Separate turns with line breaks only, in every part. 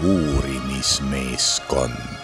uurimismeeskond.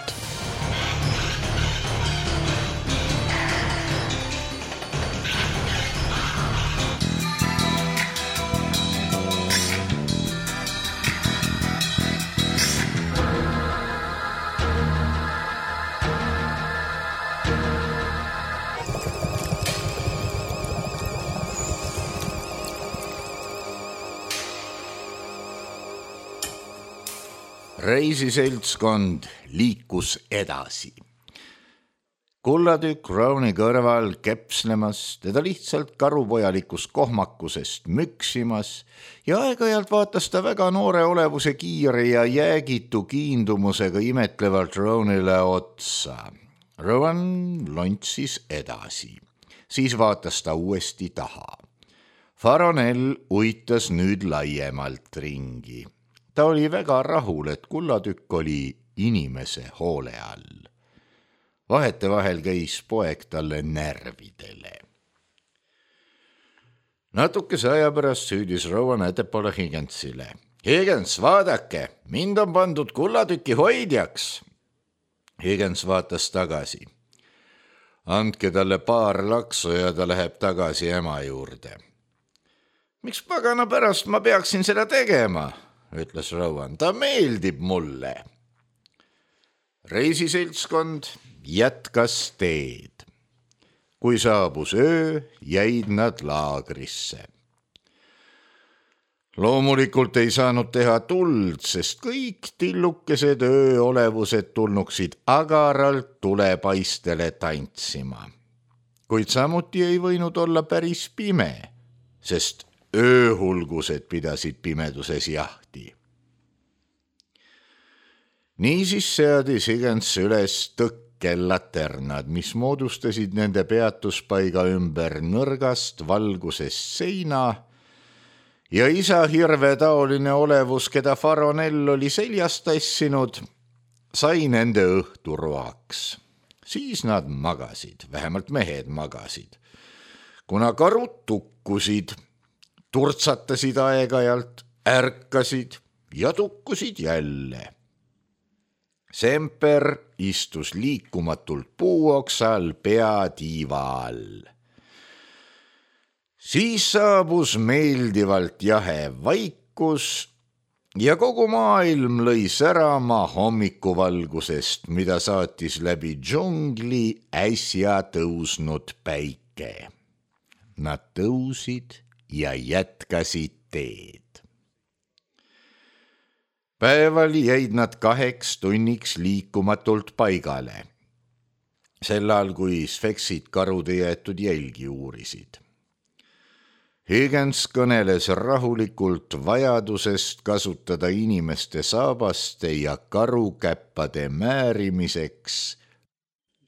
Reisiseltskond liikus edasi. Kullatükk Rowni kõrval kepslemas, teda lihtsalt karupojalikust kohmakusest müksimas ja aeg-ajalt vaatas ta väga noore olevuse kiire ja jäägitu kiindumusega imetlevalt Rownile otsa. Rowan lontsis edasi, siis vaatas ta uuesti taha. Faronell uitas nüüd laiemalt ringi. Ta oli väga rahul, et kullatükk oli inimese hoole all. Vahetevahel käis poeg talle närvidele. Natukese aja pärast süüdis Rowan ettepoole Higginsile. Higgins, vaadake, mind on pandud kullatüki hoidjaks. Higgins vaatas tagasi. Andke talle paar laksu ja ta läheb tagasi ema juurde. Miks pagana pärast ma peaksin seda tegema? Ütles Rowan, ta meeldib mulle. Reisiseltskond jätkas teed. Kui saabus öö, jäid nad laagrisse. Loomulikult ei saanud teha tuld, sest kõik tillukesed ööolevused tulnuksid agaralt tulepaistele tantsima. Kuid samuti ei võinud olla päris pime, sest ööhulgused pidasid pimeduses jahti. Niisiis seadis Higgins üles tõkkelaternad, mis moodustasid nende peatuspaiga ümber nõrgast valgusest seina ja isa hirvetaoline olevus, keda Faronell oli seljast tassinud, sai nende õhturoaks. Siis nad magasid, vähemalt mehed magasid. Kuna karud tukkusid, turtsatasid aeg-ajalt, ärkasid ja tukkusid jälle. Semper istus liikumatult puuoksal peatiiva all. Siis saabus meeldivalt jahe vaikus ja kogu maailm lõi särama hommikuvalgusest, mida saatis läbi džungli äsja tõusnud päike. Nad tõusid ja jätkasid teed. Päeval jäid nad 2 tunniks liikumatult paigale, sellal kui sfeksid karude jäetud jälgi uurisid. Higgins kõneles rahulikult vajadusest kasutada inimeste saabaste ja karukäppade määrimiseks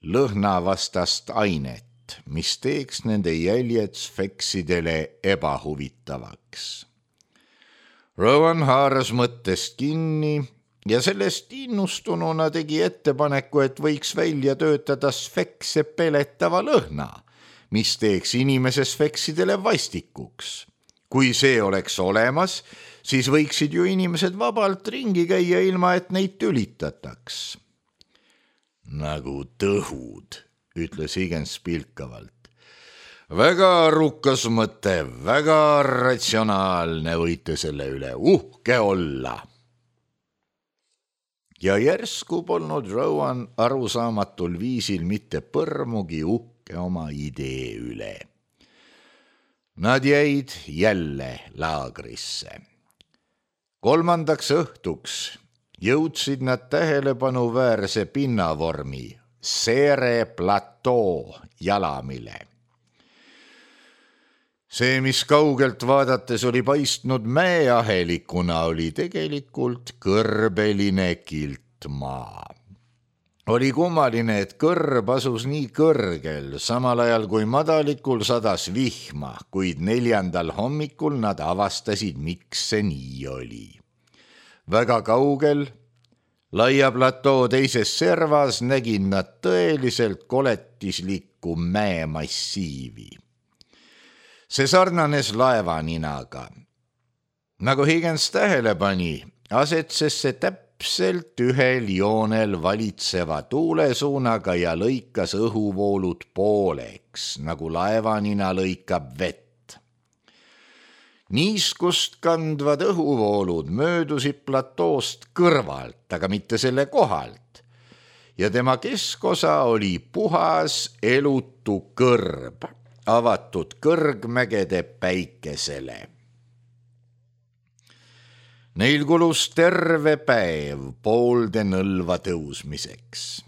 lõhnavastast ainet, mis teeks nende jäljed sfeksidele ebahuvitavaks. Rowan haaras mõttest kinni ja sellest innustununa tegi ettepaneku, et võiks välja töötada sfekse peletava lõhna, mis teeks inimese sfeksidele vastikuks. Kui see oleks olemas, siis võiksid ju inimesed vabalt ringi käia ilma, et neid tülitataks. Nagu tõhud, ütles Higgins pilkavalt. Väga arukas mõte, väga ratsionaalne, võite selle üle uhke olla. Ja järsku polnud Rowan arusaamatul viisil mitte põrmugi uhke oma idee üle. Nad jäid jälle laagrisse. 3. õhtuks jõudsid nad tähelepanuväärse pinnavormi Seere platoo jalamile. See, mis kaugelt vaadates oli paistnud mäeahelikuna, oli tegelikult kõrbeline kiltmaa. Oli kummaline, et kõrb asus nii kõrgel, samal ajal kui madalikul sadas vihma, kuid 4. hommikul nad avastasid, miks see nii oli. Väga kaugel, laia platoo teises servas nägid nad tõeliselt koletislikku mäemassiivi. See sarnanes laevaninaga. Nagu Higgins tähele pani, asetses see täpselt täpselt ühel joonel valitseva tuulesuunaga ja lõikas õhuvoolud pooleks, nagu laevanina lõikab vett. Niiskust kandvad õhuvoolud möödusid platoost kõrvalt, aga mitte selle kohalt, ja tema keskosa oli puhas elutu kõrb, avatud kõrgmägede päikesele. Neil kulus terve päev poolde nõlva tõusmiseks.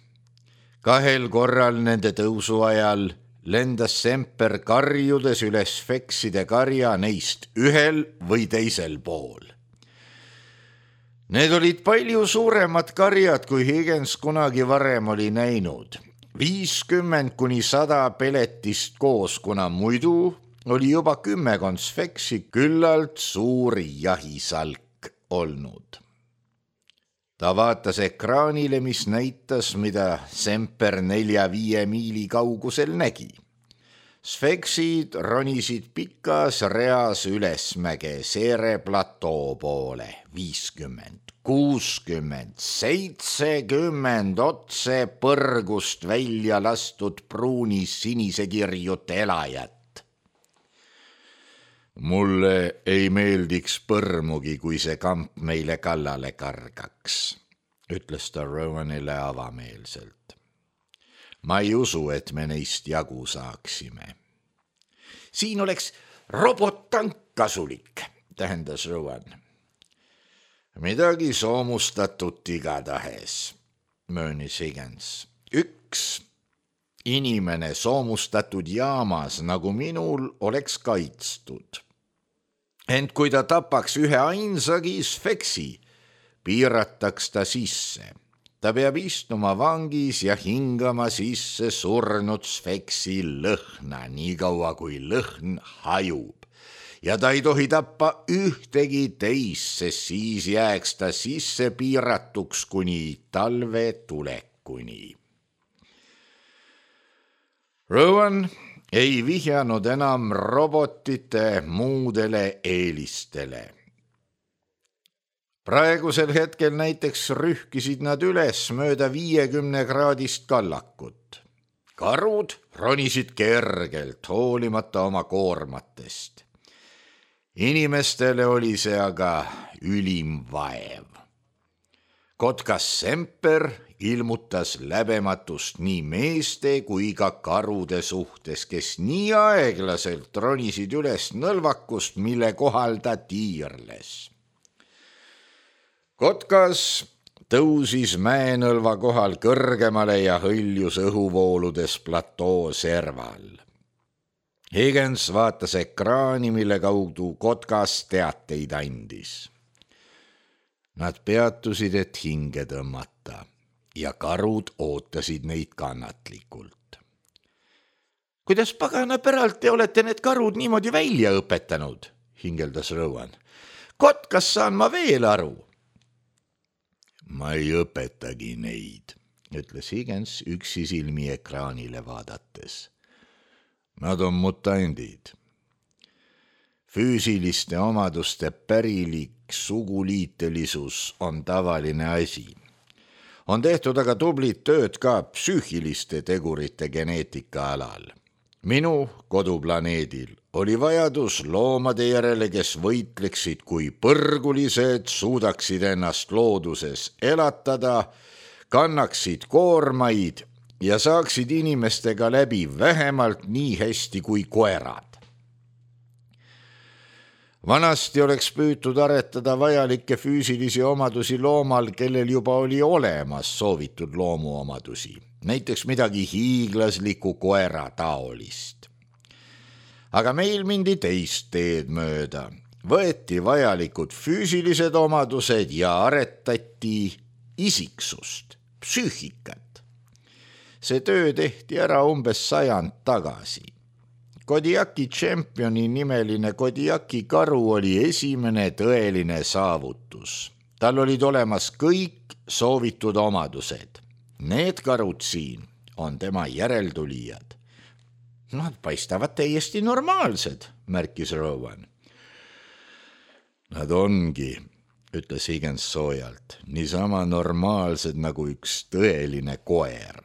2 korral nende tõusu ajal lendas Semper karjudes üles Sfekside karja neist ühel või teisel pool. Need olid palju suuremad karjad, kui Higgins kunagi varem oli näinud. 50–100 peletist koos, kuna muidu oli juba 10 Sfeksi küllalt suur jahisalk olnud. Ta vaatas ekraanile, mis näitas, mida Semper 4–5 miili kaugusel nägi. Sfeksid ronisid pikas reas ülesmäge Seere platoo poole, 50, 60, 70 otse põrgust välja lastud pruunis sinise kirjut elajat. Mulle ei meeldiks põrmugi, kui see kamp meile kallale kargaks, ütles ta Rowanile avameelselt. Ma ei usu, et me neist jagu saaksime. Siin oleks robottank kasulik, tähendas Rowan. Midagi soomustatut igatahes, möönis Higgins. Üks inimene soomustatud jaamas, nagu minul, oleks kaitstud. Ent kui ta tapaks ühe ainsagi Sfeksi, piirataks ta sisse. Ta peab istuma vangis ja hingama sisse surnud Sfeksi lõhna, nii kaua kui lõhn hajub. Ja ta ei tohi tappa ühtegi teist, sest siis jääks ta sisse piiratuks kuni talve tulekuni. Rowan ei vihjanud enam robotite muudele eelistele. Praegusel hetkel näiteks rühkisid nad üles mööda 50-kraadist kallakut. Karud ronisid kergelt, hoolimata oma koormatest. Inimestele oli see aga ülim vaev. Kotkas Semper ilmutas läbematust nii meeste kui ka karude suhtes, kes nii aeglaselt ronisid üles nõlvakust, mille kohal ta tiirles. Kotkas tõusis mäenõlva kohal kõrgemale ja hõljus õhuvooludes platoo serval. Higgins vaatas ekraani, mille kaudu Kotkas teateid andis. Nad peatusid, et hinge tõmmata, ja karud ootasid neid kannatlikult. Kuidas pagana päralt te olete need karud niimoodi välja õpetanud, hingeldas Rowan. Kotkas saan ma veel aru. Ma ei õpetagi neid, ütles Higgins üksi silmi ekraanile vaadates. Nad on mutandid. Füüsiliste omaduste pärilik suguliitelisus on tavaline asi. On tehtud aga tublit tööd ka psüühiliste tegurite geneetika alal. Minu koduplaneedil oli vajadus loomade järele, kes võitleksid kui põrgulised, suudaksid ennast looduses elatada, kannaksid koormaid ja saaksid inimestega läbi vähemalt nii hästi kui koerad. Vanasti oleks püütud aretada vajalikke füüsilisi omadusi loomal, kellel juba oli olemas soovitud loomuomadusi, näiteks midagi hiiglaslikku koera taolist. Aga meil mindi teist teed mööda, võeti vajalikud füüsilised omadused ja aretati isiksust, psüühikat. See töö tehti ära umbes 100 tagasi. Kodiaki Championi nimeline Kodiaki karu oli esimene tõeline saavutus. Tal olid olemas kõik soovitud omadused. Need karud siin on tema järeltulijad. Nad paistavad täiesti normaalsed, märkis Rowan. Nad ongi, ütles Higgins soojalt, niisama normaalsed nagu üks tõeline koer.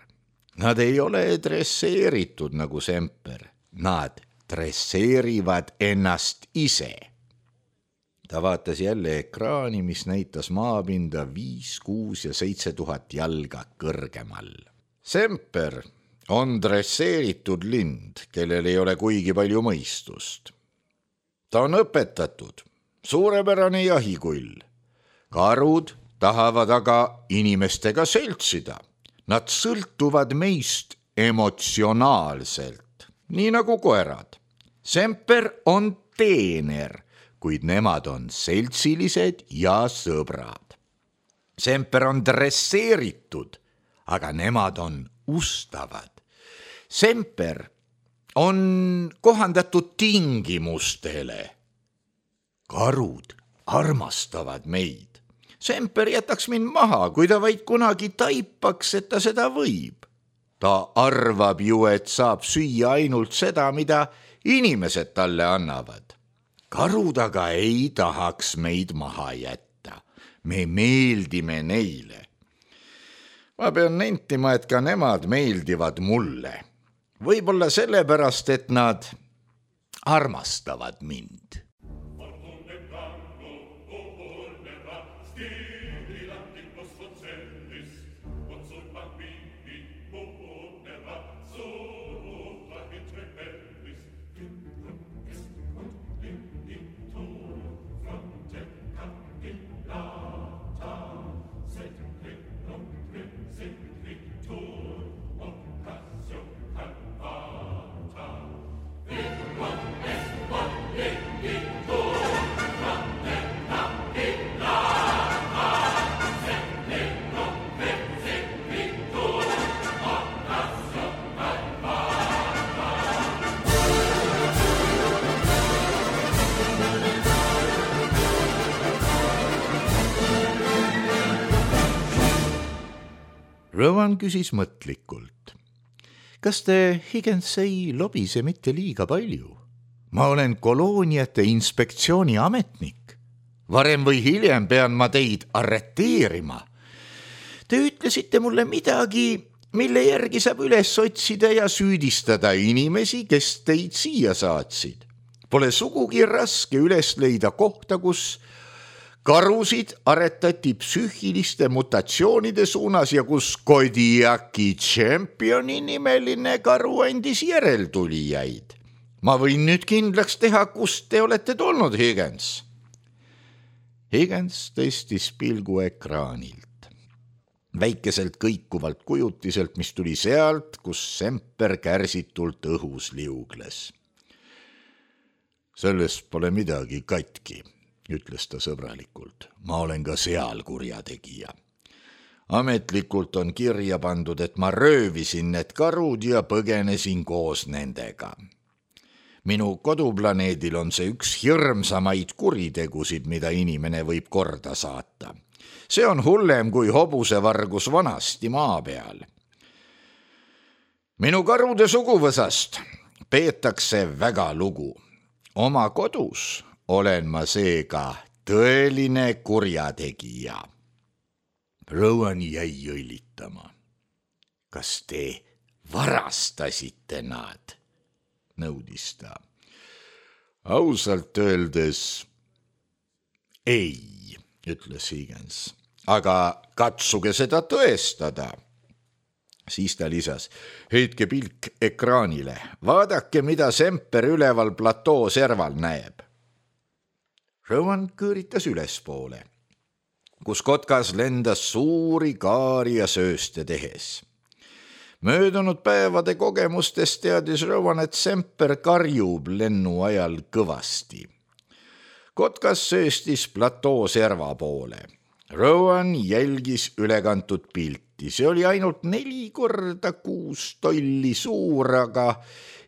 Nad ei ole dresseeritud nagu Semper, nad dresseerivad ennast ise. Ta vaatas jälle ekraani, mis näitas maapinda 5, 6 ja 7 tuhat jalga kõrgemal. Semper on dresseeritud lind, kellel ei ole kuigi palju mõistust. Ta on õpetatud, suurepärane jahikull. Karud tahavad aga inimestega seltsida. Nad sõltuvad meist emotsionaalselt, nii nagu koerad. Semper on teener, kuid nemad on seltsilised ja sõbrad. Semper on dresseeritud, aga nemad on ustavad. Semper on kohandatud tingimustele. Karud armastavad meid. Semper jätaks mind maha, kui ta vaid kunagi taipaks, et ta seda võib. Ta arvab ju, et saab süüa ainult seda, mida inimesed talle annavad. Karud aga ei tahaks meid maha jätta. Me meeldime neile. Ma pean nentima, et ka nemad meeldivad mulle. Võib-olla sellepärast, et nad armastavad mind. Rowan küsis mõtlikult. Kas te, Higgins, ei lobise mitte liiga palju? Ma olen kolooniate inspektsiooni ametnik. Varem või hiljem pean ma teid arreteerima. Te ütlesite mulle midagi, mille järgi saab üles otsida ja süüdistada inimesi, kes teid siia saatsid. Pole sugugi raske üles leida kohta, kus karusid aretati psüühiliste mutatsioonide suunas ja kus Kodiaki Championi nimeline karu andis järeltulijaid. Ma võin nüüd kindlaks teha, kust te olete tulnud, Higgins. Higgins tõstis pilgu ekraanilt. Väikeselt kõikuvalt kujutiselt, mis tuli sealt, kus Semper kärsitult õhus liugles. Sellest pole midagi katki, ütles ta sõbralikult. Ma olen ka seal kurjategija. Ametlikult on kirja pandud, et ma röövisin need karud ja põgenesin koos nendega. Minu koduplaneedil on see üks hirmsamaid kuritegusid, mida inimene võib korda saata. See on hullem kui hobusevargus vanasti maa peal. Minu karude suguvõsast peetakse väga lugu. Oma kodus olen ma seega tõeline kurjategija. Rowan jäi õilitama. Kas te varastasite nad? Nõudis ta. Ausalt öeldes ei, ütles Higgins. Aga katsuge seda tõestada. Siis ta lisas, heitke pilk ekraanile. Vaadake, mida Semper üleval platoo serval näeb. Rowan kõõritas ülespoole, kus kotkas lendas suuri kaari ja sööste tehes. Möödunud päevade kogemustest teadis Rowan, et Semper karjub lennu ajal kõvasti. Kotkas sööstis platoo serva poole. Rowan jälgis ülekantud pilti. See oli ainult 4x6 tolli suur, aga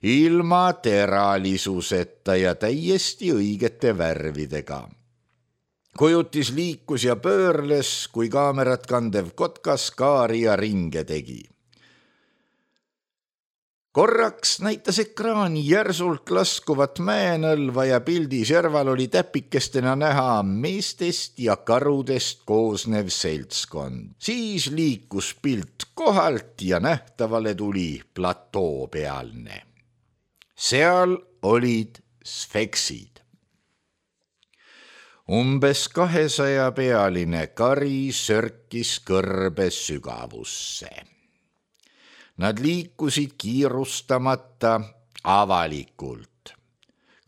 ilma teralisuseta ja täiesti õigete värvidega. Kujutis liikus ja pöörles, kui kaamerat kandev kotkas kaari ja ringe tegi. Korraks näitas ekraan järsult laskuvat mäenõlva ja pildi serval oli täpikestena näha meestest ja karudest koosnev seltskond. Siis liikus pilt kohalt ja nähtavale tuli platoo pealne. Seal olid sfeksid. Umbes 200 pealine kari sörkis kõrbe sügavusse. Nad liikusid kiirustamata avalikult.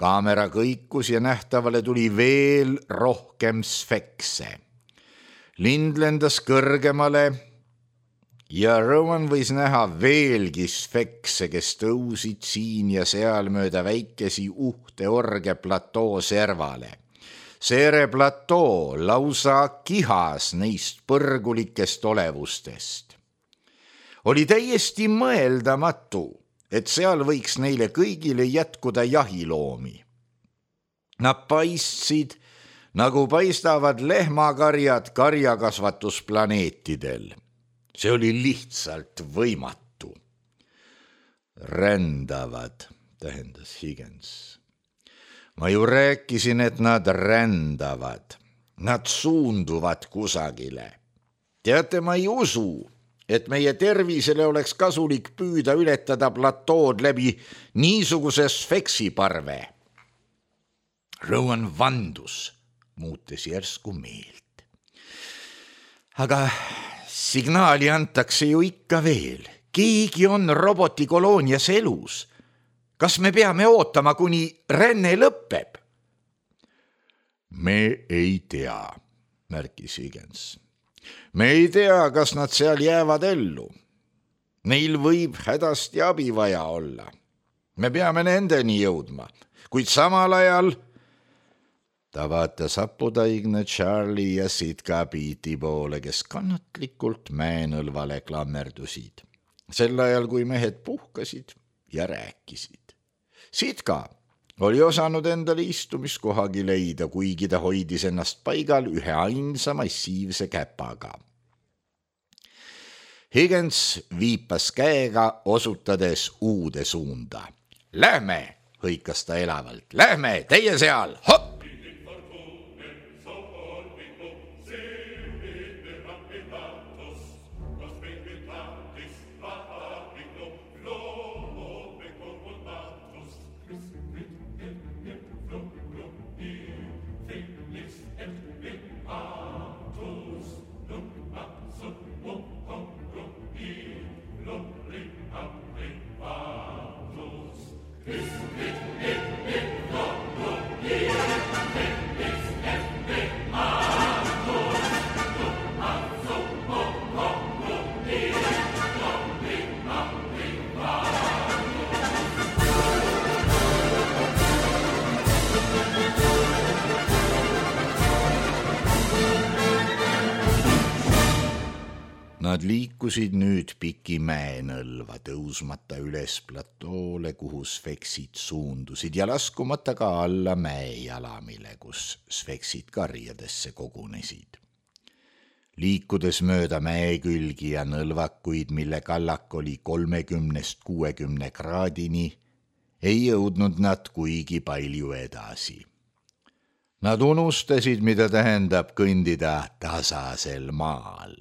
Kaamera kõikus ja nähtavale tuli veel rohkem sfekse. Lind lendas kõrgemale ja Rowan võis näha veelgi sfekse, kes tõusid siin ja seal mööda väikesi uhte orge platoo servale. Seere platoo lausa kihas neist põrgulikest olevustest. Oli täiesti mõeldamatu, et seal võiks neile kõigile jätkuda jahiloomi. Nad paistsid, nagu paistavad lehmakarjad karjakasvatusplaneetidel. See oli lihtsalt võimatu. Rändavad, tähendas Higgins. Ma ju rääkisin, et nad rändavad. Nad suunduvad kusagile. Teate, ma ei usu, et meie tervisele oleks kasulik püüda ületada platood läbi niisuguse sfeksiparve. Rowan vandus, muutes järsku meelt. Aga signaali antakse ju ikka veel. Keegi on robotikoloonias elus. Kas me peame ootama, kuni ränne lõpeb? Me ei tea, märkis Higgins. Me ei tea, kas nad seal jäävad ellu. Neil võib hädasti abi vaja olla. Me peame nendeni jõudma, kuid samal ajal ta vaatas haputaigne Charlie ja Sitka Piiti poole, kes kannatlikult mäenõlvale klammerdusid. Sel ajal, kui mehed puhkasid ja rääkisid. Sitka oli osanud endale istumiskohagi leida, kuigi ta hoidis ennast paigal ühe ainsa massiivse käpaga. Higgins viipas käega, osutades uude suunda. Lähme, hõikas ta elavalt. Lähme, teie seal, hopp! Nad liikusid nüüd piki mäenõlva, tõusmata üles platoole, kuhu sfeksid suundusid ja laskumata ka alla mäejalamile, kus sfeksid karjadesse kogunesid. Liikudes mööda mäekülgi ja nõlvakuid, mille kallak oli 30–60 kraadini, ei jõudnud nad kuigi palju edasi. Nad unustasid, mida tähendab kõndida tasasel maal.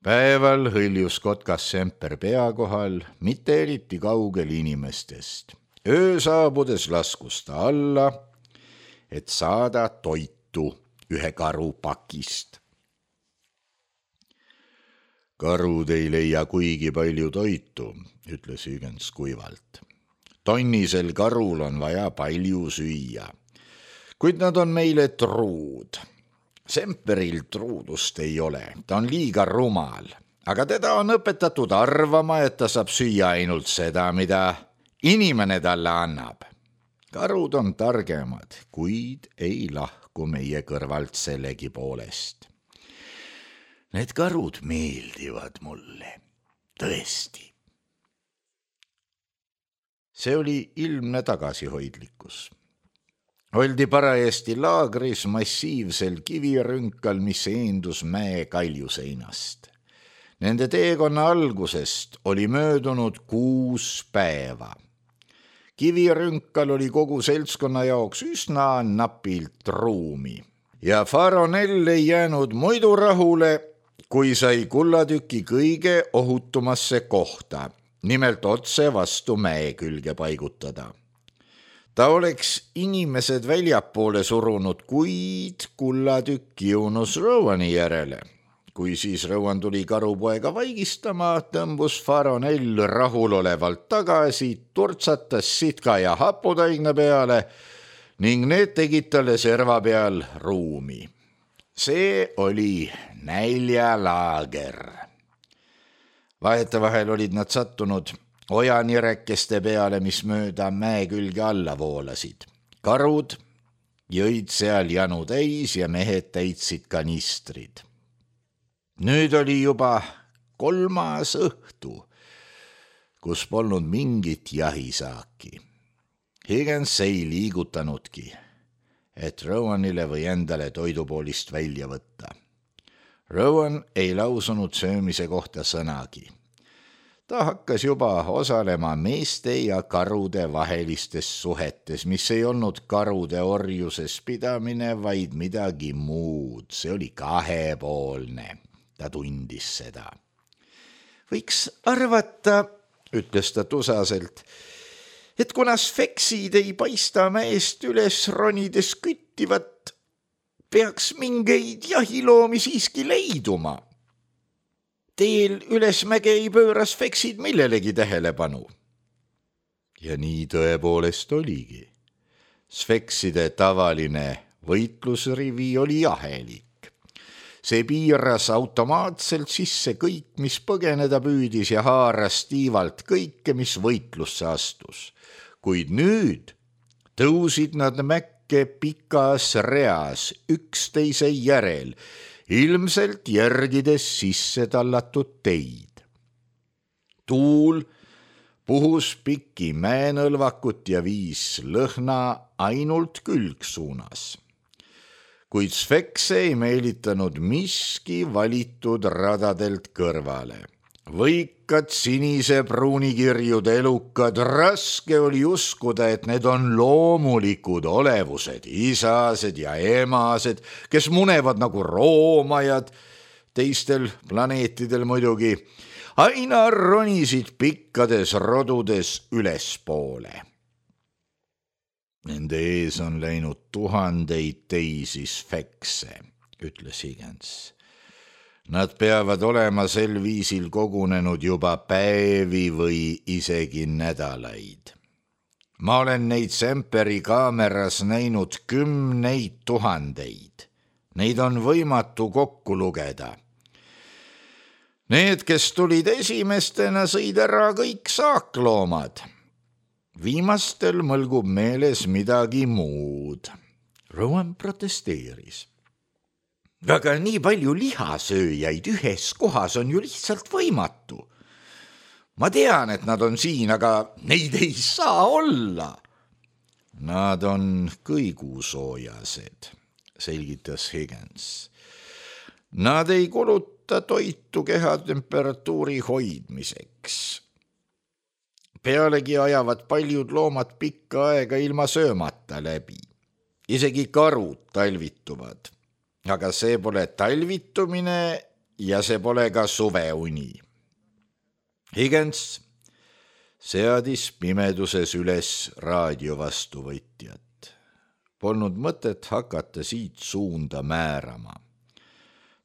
Päeval hõljus kotkas semper pea kohal, mitte eriti kaugel inimestest. Öö saabudes laskus ta alla, et saada toitu ühe karu pakist. Karud ei leia kuigi palju toitu, ütles Higgins kuivalt. Tonnisel karul on vaja palju süüa, kuid nad on meile truud. Semperil truudust ei ole, ta on liiga rumal, aga teda on õpetatud arvama, et ta saab süüa ainult seda, mida inimene talle annab. Karud on targemad, kuid ei lahku meie kõrvalt sellegi poolest. Need karud meeldivad mulle, tõesti. See oli ilmne tagasihoidlikkus. Oldi parajasti laagris massiivsel kivirünkal, mis eendus mäe kaljuseinast. Nende teekonna algusest oli möödunud 6 päeva. Kivirünkal oli kogu seltskonna jaoks üsna napilt ruumi ja Faronell ei jäänud muidu rahule, kui sai kullatüki kõige ohutumasse kohta, nimelt otse vastu mäe külge paigutada. Ta oleks inimesed väljapoole surunud, kuid kullatükk jõunus Rowani järele. Kui siis Rowan tuli karupoega vaigistama, tõmbus Faronell rahulolevalt tagasi, turtsatas sitka ja haputaigna peale ning need tegid talle serva peal ruumi. See oli näljalaager. Vahetevahel olid nad sattunud ojanirekeste peale, mis mööda mäe külge alla voolasid. Karud jõid seal janu täis ja mehed täitsid kanistrid. Nüüd oli juba 3. õhtu, kus polnud mingit jahisaaki. Higgins ei liigutanudki, et Rowanile või endale toidupoolist välja võtta. Rowan ei lausunud söömise kohta sõnagi. Ta hakkas juba osalema meeste ja karude vahelistes suhetes, mis ei olnud karude orjuses pidamine, vaid midagi muud. See oli kahepoolne. Ta tundis seda. Võiks arvata, ütles ta tusaselt, et kuna sfeksid ei paista mäest üles ronides küttivat, peaks mingeid jahiloomi siiski leiduma. Teel üles mäge ei pööra sfeksid millelegi tähelepanu. Ja nii tõepoolest oligi. Sfekside tavaline võitlusrivi oli ahelik. See piiras automaatselt sisse kõik, mis põgeneda püüdis ja haaras tiivalt kõike, mis võitlusse astus. Kuid nüüd tõusid nad mäkke pikas reas üksteise järel, ilmselt järgides sisse tallatud teid. Tuul puhus pikki mäenõlvakut ja viis lõhna ainult külgsuunas. Kuid sfekse ei meelitanud miski valitud radadelt kõrvale. Võikad sinise pruunikirjud elukad, raske oli uskuda, et need on loomulikud olevused, isased ja emased, kes munevad nagu roomajad, teistel planeetidel muidugi, aina ronisid pikkades rodudes ülespoole. Nende ees on läinud 1000 teisi sfekse, ütles Higgins. Nad peavad olema sel viisil kogunenud juba päevi või isegi nädalaid. Ma olen neid Semperi kaameras näinud 10 000. Neid on võimatu kokku lugeda. Need, kes tulid esimestena, sõid ära kõik saakloomad. Viimastel mõlgub meeles midagi muud. Rowan protesteeris. Aga nii palju lihasööjaid ühes kohas on ju lihtsalt võimatu. Ma tean, et nad on siin, aga neid ei saa olla. Nad on kõigusoojased, selgitas Higgins. Nad ei kuluta toitu kehatemperatuuri hoidmiseks. Pealegi ajavad paljud loomad pikka aega ilma söömata läbi. Isegi karud talvituvad. Aga see pole talvitumine ja see pole ka suveuni. Higgins seadis pimeduses üles raadiovastuvõtjat. Polnud mõtet hakata siit suunda määrama.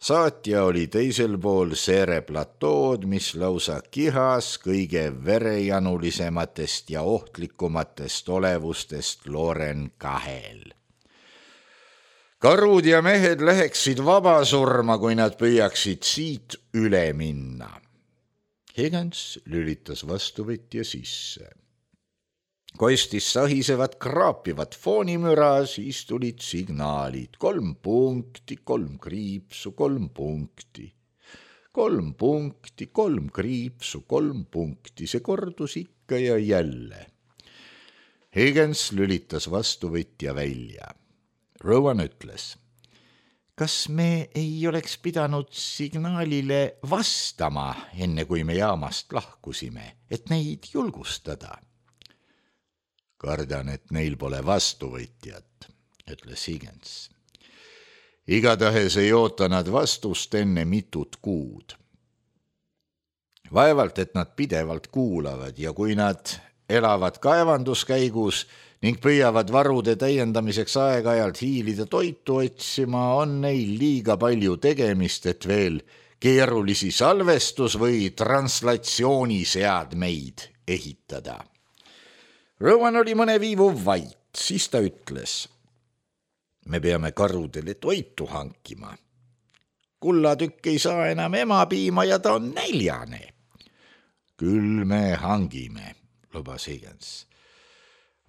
Saatja oli teisel pool Seere platood, mis lausa kihas kõige verejanulisematest ja ohtlikumatest olevustest Loren 2. Karud ja mehed läheksid vabasurma, kui nad püüaksid siit üle minna. Higgins lülitas vastuvõtja sisse. Kostis sahisevat kraapivat foonimüra, siis tulid signaalid. 3 punkti, 3 kriipsu, 3 punkti. 3 punkti, 3 kriipsu, 3 punkti. See kordus ikka ja jälle. Higgins lülitas vastuvõtja välja. Rowan ütles. kas me ei oleks pidanud signaalile vastama, enne kui me jaamast lahkusime, et neid julgustada? Kardan, et neil pole vastuvõtjat, ütles Higgins. Igatahes ei oota nad vastust enne mitut kuud. Vaevalt, et nad pidevalt kuulavad ja kui nad elavad kaevanduskäigus ning püüavad varude täiendamiseks aeg-ajalt hiilida toitu otsima, on neil liiga palju tegemist, et veel keerulisi salvestus- või translatsiooniseadmeid ehitada. Rowan oli mõne viivu vait, siis ta ütles: me peame karudele toitu hankima. Kullatükk ei saa enam emapiima ja ta on näljane. Küll me hangime, lubas Higgins.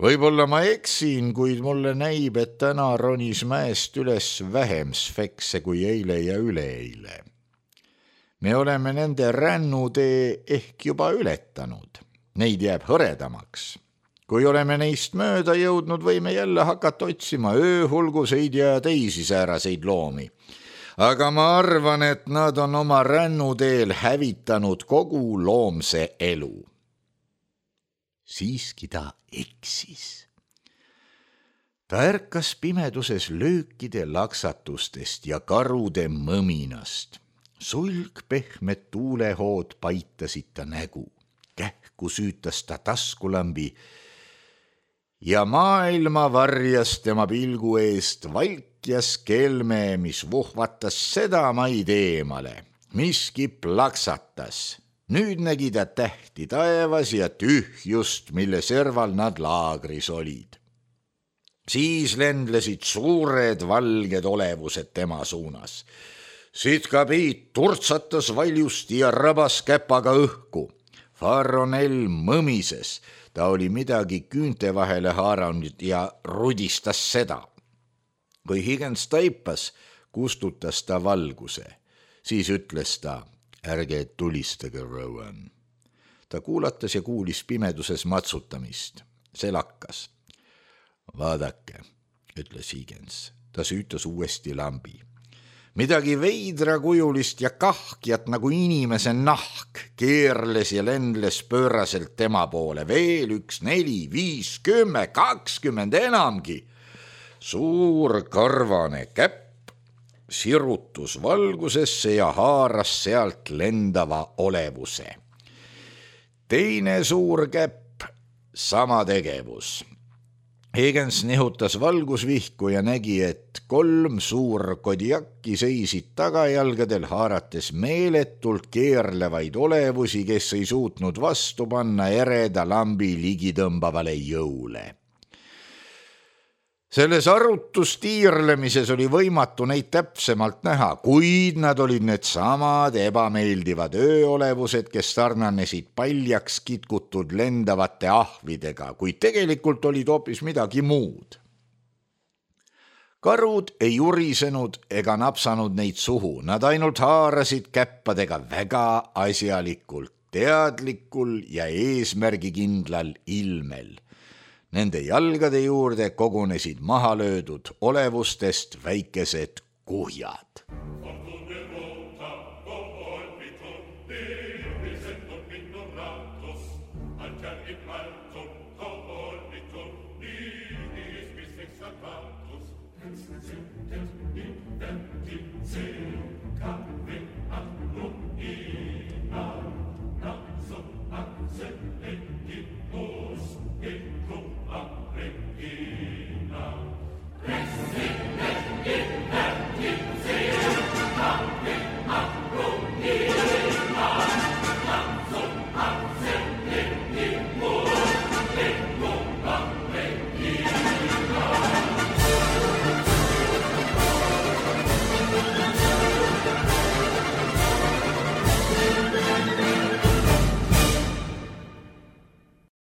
Võib-olla ma eksin, kuid mulle näib, et täna ronis mäest üles vähem sfekse kui eile ja üleeile. Me oleme nende rännutee ehk juba ületanud. Neid jääb hõredamaks. Kui oleme neist mööda jõudnud, võime jälle hakata otsima ööhulguseid ja teisi sääraseid loomi. Aga ma arvan, et nad on oma rännuteel hävitanud kogu loomse elu. Siiski ta eksis. Ta ärkas pimeduses löökide laksatustest ja karude mõminast. Sulgpehmed tuulehood paitasid ta nägu. Kähku süütas ta taskulambi ja maailma varjas tema pilgu eest valkjas kelme, mis vuhvatas seda maid eemale. Miski plaksatas. Nüüd nägi ta tähti taevas ja tühjust, mille serval nad laagris olid. Siis lendlesid suured valged olevused tema suunas. Sitkapiit turtsatas valjusti ja rabas käpaga õhku. Faronell mõmises, ta oli midagi küünte vahele haaranud ja rudistas seda. Kui Higgins taipas, kustutas ta valguse. Siis ütles ta: ärge tulistage, Rowan. Ta kuulatas ja kuulis pimeduses matsutamist. See lakkas. Vaadake, ütles Higgins. Ta süütas uuesti lambi. Midagi veidrakujulist ja kahkjat nagu inimese nahk keerles ja lendles pööraselt tema poole. Veel 1, 4, 5, 10, 20 enamgi. Suur karvane käpp sirutus valgusesse ja haaras sealt lendava olevuse. Teine suur käpp, sama tegevus. Higgins nihutas valgusvihku ja nägi, et 3 suur kodiakki seisid tagajalgadel, haarates meeletult keerlevaid olevusi, kes ei suutnud vastu panna ereda lambi ligitõmbavale jõule. Selles arutustiirlemises oli võimatu neid täpsemalt näha, kuid nad olid need samad ebameeldivad ööolevused, kes sarnanesid paljaks kitkutud lendavate ahvidega, kuid tegelikult olid hoopis midagi muud. Karud ei urisenud ega napsanud neid suhu, nad ainult haarasid käppadega väga asjalikult, teadlikul ja eesmärgikindlal ilmel. Nende jalgade juurde kogunesid mahalöödud olevustest väikesed kuhjad.